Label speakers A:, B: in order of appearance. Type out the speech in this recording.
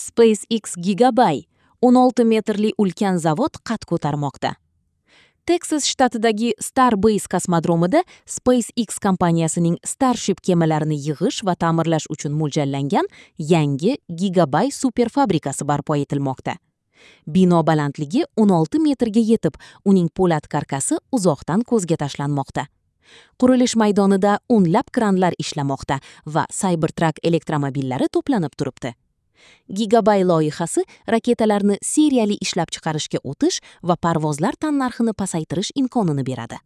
A: SpaceX Gigabay 16 metrli ulkan zavod qad ko'tarmoqda. Texas shtatidagi Starbase kosmodromida SpaceX kompaniyasining Starship kemalarini yig'ish va ta'mirlash uchun mo'ljallangan yangi Gigabay superfabrikasi barpo etilmoqda. Bino balandligi 16 metrga yetib, uning po'lat karkasi uzoqdan ko'zga tashlanmoqda. Qurilish maydonida o'nlab kranlar ishlamoqda va Cybertruck elektromobillari to'planib turibdi. Gigabay loyihasi raketalarni seriyali ishlab chiqarishga o'tish va parvozlar tannarxini pasaytirish imkonini beradi.